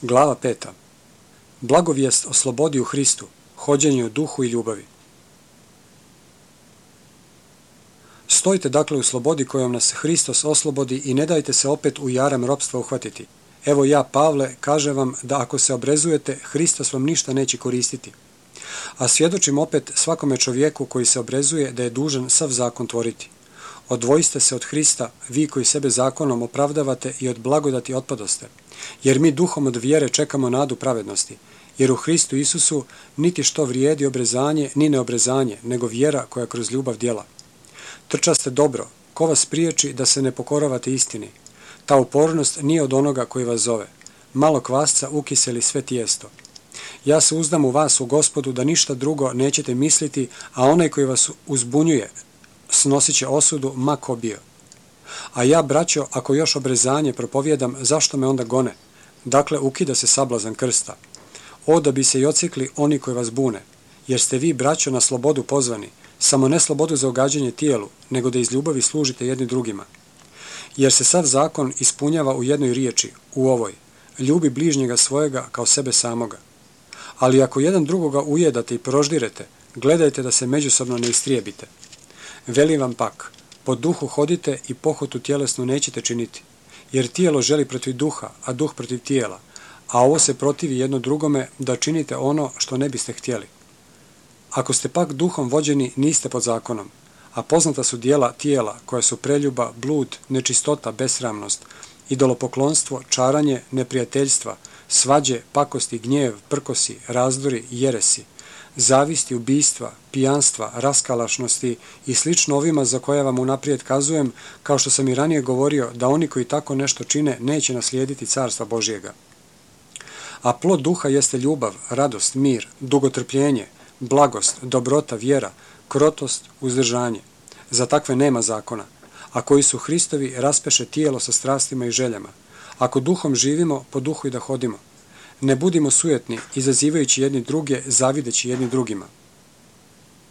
Glava 5. Blagovijest o slobodi u Hristu, hođenju u duhu i ljubavi. Stojite dakle u slobodi kojom nas Hristos oslobodi i ne dajte se opet u jaram ropstva uhvatiti. Evo ja, Pavle, kažem vam da ako se obrezujete, Hristos vam ništa neće koristiti. A svjedočim opet svakome čovjeku koji se obrezuje da je dužan sav zakon tvoriti. Odvojiste se od Hrista, vi koji sebe zakonom opravdavate i od blagodati otpadoste, jer mi duhom od vjere čekamo nadu pravednosti, jer u Hristu Isusu niti što vrijedi obrezanje ni neobrezanje, nego vjera koja kroz ljubav djela. Trčaste dobro, ko vas priječi da se ne pokoravate istini? Ta upornost nije od onoga koji vas zove. Malo kvasca ukiseli sve tijesto. Ja se uzdam u vas u Gospodu da ništa drugo nećete misliti, a onaj koji vas uzbunjuje snosit će osudu ma ko bio. A ja, braćo, ako još obrezanje propovjedam, zašto me onda gone? Dakle, ukida se sablazan krsta. O, da bi se i ocikli oni koji vas bune, jer ste vi, braćo, na slobodu pozvani, samo ne slobodu za ugađanje tijelu, nego da iz ljubavi služite jedni drugima. Jer se sav zakon ispunjava u jednoj riječi, u ovoj, ljubi bližnjega svojega kao sebe samoga. Ali ako jedan drugoga ujedate i proždirete, gledajte da se međusobno ne istrijebite. Velim vam pak, po duhu hodite i pohotu tjelesnu nećete činiti, jer tijelo želi protiv duha, a duh protiv tijela, a ovo se protivi jedno drugome da činite ono što ne biste htjeli. Ako ste pak duhom vođeni, niste pod zakonom, a poznata su djela tijela koja su preljuba, blud, nečistota, besramnost, idolopoklonstvo, čaranje, neprijateljstva, svađe, pakosti, gnjev, prkosi, razdori, jeresi, zavisti, ubijstva, pijanstva, raskalašnosti i slično ovima za koje vam unaprijed kazujem, kao što sam i ranije govorio, da oni koji tako nešto čine neće naslijediti carstva Božjega. A plod duha jeste ljubav, radost, mir, dugotrpljenje, blagost, dobrota, vjera, krotost, uzdržanje. Za takve nema zakona, a koji su Hristovi raspeše tijelo sa strastima i željama. Ako duhom živimo, po duhu i da hodimo. Ne budimo sujetni, izazivajući jedni druge, zavideći jedni drugima.